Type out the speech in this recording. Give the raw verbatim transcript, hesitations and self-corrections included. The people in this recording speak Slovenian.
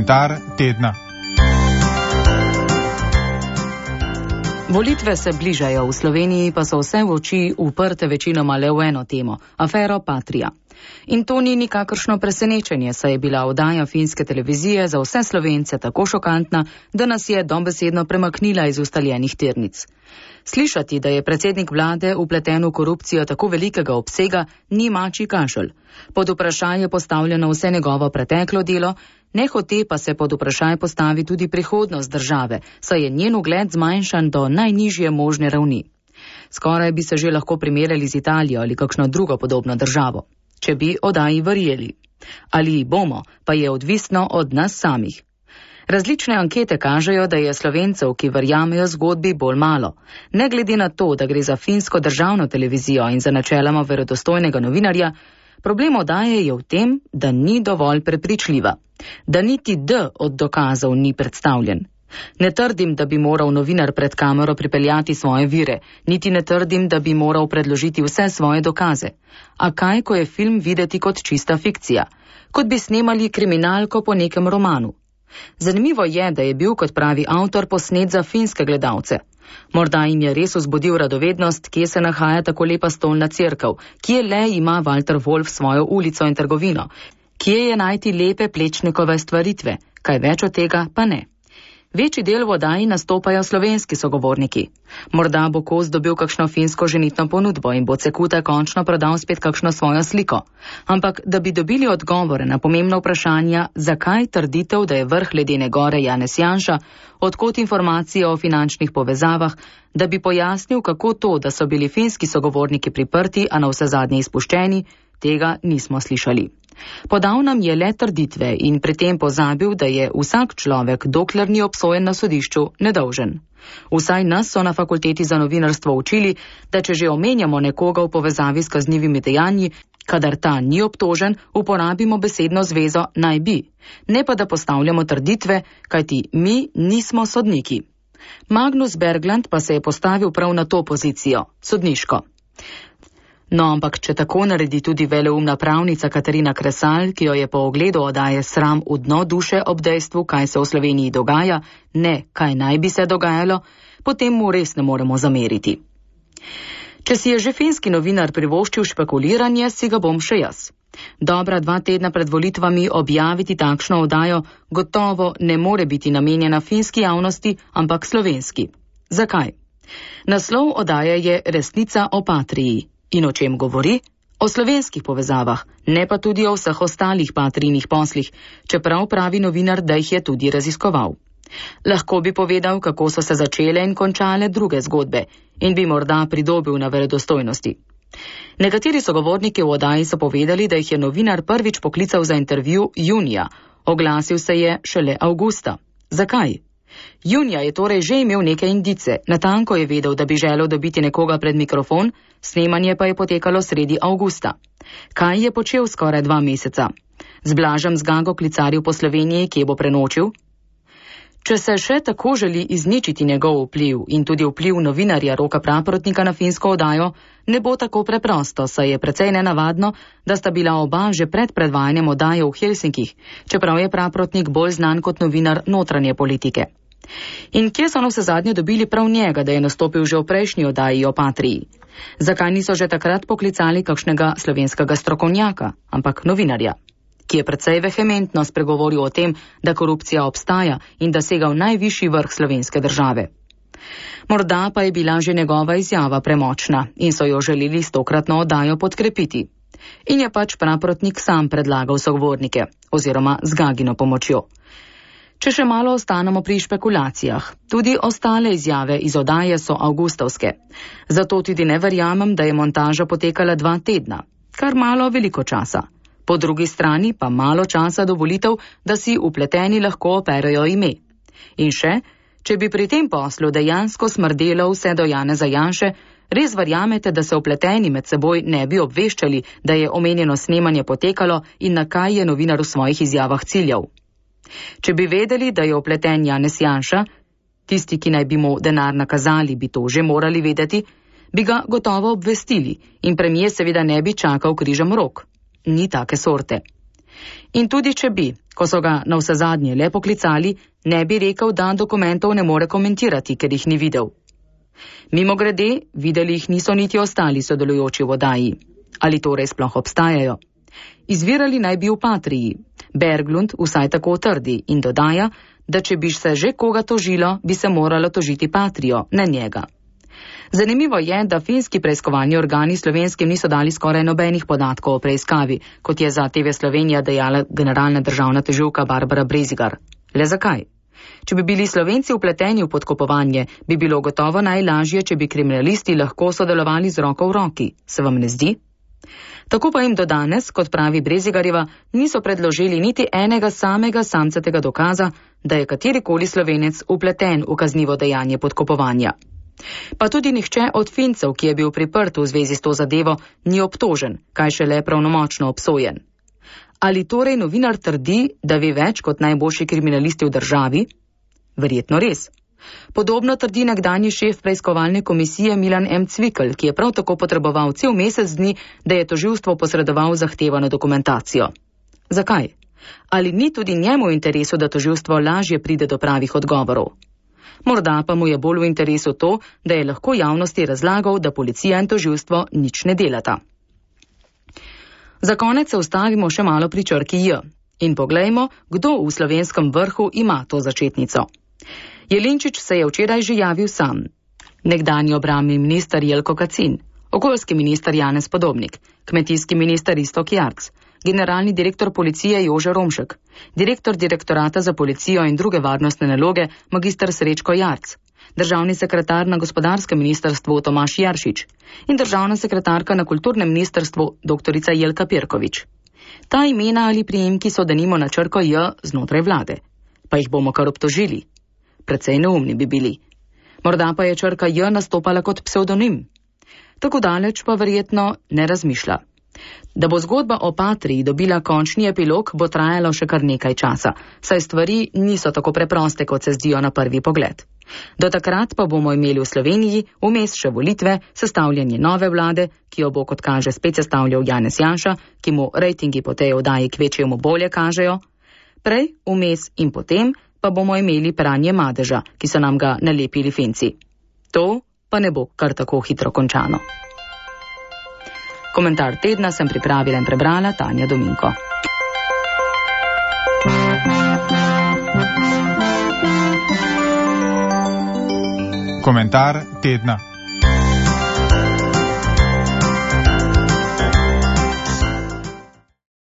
Komentar tedna. Volitve se bližajo, v Sloveniji pa so vse v oči uprte večinoma le v eno temo – afero Patria. In to ni nikakršno presenečenje, saj je bila oddaja finske televizije za vse Slovence tako šokantna, da nas je dobesedno premaknila iz ustaljenih tirnic. Slišati, da je predsednik vlade vpleten v korupcijo tako velikega obsega, ni mačji kašelj. Pod vprašaj je postavljeno vse njegovo preteklo delo, nehote pa se pod vprašaj postavi tudi prihodnost države, saj je njen ugled zmanjšan do najnižje možne ravni. Skoraj bi se že lahko primerjali z Italijo ali kakšno drugo podobno državo, če bi oddaji verjeli. Ali bomo, pa je odvisno od nas samih. Različne ankete kažejo, da je Slovencev, ki verjamejo zgodbi, bolj malo. Ne glede na to, da gre za finsko državno televizijo in za načeloma verodostojnega novinarja, problem oddaje je v tem, da ni dovolj prepričljiva. Da niti D od dokazov ni predstavljen. Ne trdim, da bi moral novinar pred kamero pripeljati svoje vire, niti ne trdim, da bi moral predložiti vse svoje dokaze. A kaj, ko je film videti kot čista fikcija? Kot bi snemali kriminalko po nekem romanu. Zanimivo je, da je bil, kot pravi avtor, posnet za finske gledalce. Morda jim je res vzbudil radovednost, kje se nahaja tako lepa stolna cerkev, kje le ima Walter Wolf svojo ulico in trgovino, kje je najti lepe Plečnikove stvaritve, kaj več od tega pa ne. Večji del v oddaji nastopajo slovenski sogovorniki. Morda bo Kos dobil kakšno finsko ženitno ponudbo in bo Cekuta končno prodal spet kakšno svojo sliko. Ampak, da bi dobili odgovore na pomembna vprašanja, zakaj trditev, da je vrh ledene gore Janez Janša, odkot informacije o finančnih povezavah, da bi pojasnil, kako to, da so bili finski sogovorniki priprti, a na vse zadnje izpuščeni, tega nismo slišali. Podal nam je le trditve in pri tem pozabil, da je vsak človek, dokler ni obsojen na sodišču, nedolžen. Vsaj nas so na fakulteti za novinarstvo učili, da če že omenjamo nekoga v povezavi s kaznivimi dejanji, kadar ta ni obtožen, uporabimo besedno zvezo naj bi, ne pa da postavljamo trditve, kajti mi nismo sodniki. Magnus Bergland pa se je postavil prav na to pozicijo, sodniško. No, ampak če tako naredi tudi veleumna pravnica Katarina Kresal, ki jo je po ogledu oddaje sram v dno duše ob dejstvu, kaj se v Sloveniji dogaja, ne, kaj naj bi se dogajalo, potem mu res ne moremo zameriti. Če si je že finski novinar privoščil špekuliranje, si ga bom še jaz. Dobra dva tedna pred volitvami objaviti takšno oddajo gotovo ne more biti namenjena finski javnosti, ampak slovenski. Zakaj? Naslov oddaje je Resnica o Patriji. In o čem govori? O slovenskih povezavah, ne pa tudi o vseh ostalih Patrijnih poslih, čeprav pravi novinar, da jih je tudi raziskoval. Lahko bi povedal, kako so se začele in končale druge zgodbe in bi morda pridobil na verodostojnosti. Nekateri sogovorniki v oddaji so povedali, da jih je novinar prvič poklical za intervju junija, oglasil se je šele avgusta. Zakaj? Junija je torej že imel neke indice, natanko je vedel, da bi želel dobiti nekoga pred mikrofon, snemanje pa je potekalo sredi avgusta. Kaj je počel skoraj dva meseca? Z Blažem Zgago klicaril po Sloveniji, kje bo prenočil? Če se še tako želi izničiti njegov vpliv in tudi vpliv novinarja Roka Praprotnika na finsko oddajo, ne bo tako preprosto, saj je precej nenavadno, da sta bila oba že pred predvajanjem oddaje v Helsinkih, čeprav je Praprotnik bolj znan kot novinar notranje politike. In kje so na vse zadnje dobili prav njega, da je nastopil že v prejšnji oddaji o Patriji? Zakaj niso že takrat poklicali kakšnega slovenskega strokovnjaka, ampak novinarja, ki je precej vehementno spregovoril o tem, da korupcija obstaja in da sega v najvišji vrh slovenske države. Morda pa je bila že njegova izjava premočna in so jo želeli s tokratno oddajo podkrepiti. In je pač Praprotnik sam predlagal sogovornike, oziroma z Gagino pomočjo. Če še malo ostanemo pri špekulacijah, tudi ostale izjave iz oddaje so avgustovske. Zato tudi ne verjamem, da je montaža potekala dva tedna, kar malo veliko časa. Po drugi strani pa malo časa do volitev, da si vpleteni lahko operejo ime. In še, če bi pri tem poslu dejansko smrdelo vse do Janeza Janše, res verjamete, da se vpleteni med seboj ne bi obveščali, da je omenjeno snemanje potekalo in na kaj je novinar v svojih izjavah ciljal. Če bi vedeli, da je vpleten Janez Janša, tisti, ki naj bi mu denar nakazali, bi to že morali vedeti, bi ga gotovo obvestili in premijer seveda ne bi čakal križem rok. Ni take sorte. In tudi če bi, ko so ga na vse zadnje le poklicali, ne bi rekel, da dokumentov ne more komentirati, ker jih ni videl. Mimogrede, videli jih niso niti ostali sodelujoči v oddaji. Ali torej sploh obstajajo? Izvirali naj bi v Patriji. Berglund vsaj tako trdi in dodaja, da če bi se že koga tožilo, bi se moralo tožiti Patrijo, ne njega. Zanimivo je, da finski preiskovalni organi slovenskim niso dali skoraj nobenih podatkov o preiskavi, kot je za T V Slovenija dejala generalna državna tožilka Barbara Brezigar. Le zakaj? Če bi bili Slovenci vpleteni v podkupovanje, bi bilo gotovo najlažje, če bi kriminalisti lahko sodelovali z roko v roki. Se vam ne zdi? Tako pa jim do danes, kot pravi Brezigarjeva, niso predložili niti enega samega samcatega dokaza, da je katerikoli Slovenec vpleten v kaznivo dejanje podkupovanja. Pa tudi nihče od Fincev, ki je bil priprt v zvezi s to zadevo, ni obtožen, kaj šele pravnomočno obsojen. Ali torej novinar trdi, da ve več kot najboljši kriminalisti v državi? Verjetno res. Podobno trdi nekdanji šef preiskovalne komisije Milan M. Cvikl, ki je prav tako potreboval cel mesec dni, da je tožilstvo posredoval zahtevano dokumentacijo. Zakaj? Ali ni tudi njemu v interesu, da tožilstvo lažje pride do pravih odgovorov? Morda pa mu je bolj v interesu to, da je lahko javnosti razlagal, da policija in tožilstvo nič ne delata. Za konec se ustavimo še malo pri črki J in poglejmo, kdo v slovenskem vrhu ima to začetnico. Jelinčič se je včeraj že javil sam. Nekdanji obrambni minister Jelko Kacin, okoljski minister Janez Podobnik, kmetijski minister Iztok Jarc, generalni direktor policije Jože Romšek, direktor direktorata za policijo in druge varnostne naloge magister Srečko Jarc, državni sekretar na gospodarskem ministrstvu Tomaž Jaršič in državna sekretarka na kulturnem ministrstvu doktorica Jelka Pirkovič. Ta imena ali priimki so denimo na črko J znotraj vlade. Pa jih bomo kar obtožili. Precej neumni bi bili. Morda pa je črka J nastopala kot psevdonim. Tako daleč pa verjetno ne razmišlja. Da bo zgodba o Patriji dobila končni epilog, bo trajalo še kar nekaj časa, saj stvari niso tako preproste, kot se zdijo na prvi pogled. Do takrat pa bomo imeli v Sloveniji vmes še volitve, sestavljanje nove vlade, ki jo bo kot kaže spet sestavljal Janez Janša, ki mu rejtingi po tej oddaji kvečjemu bolje kažejo. Prej, vmes in potem pa bomo imeli pranje madeža, ki so nam ga nalepili Finci. To pa ne bo kar tako hitro končano. Komentar tedna sem pripravila in prebrala Tanja Dominko. Komentar tedna.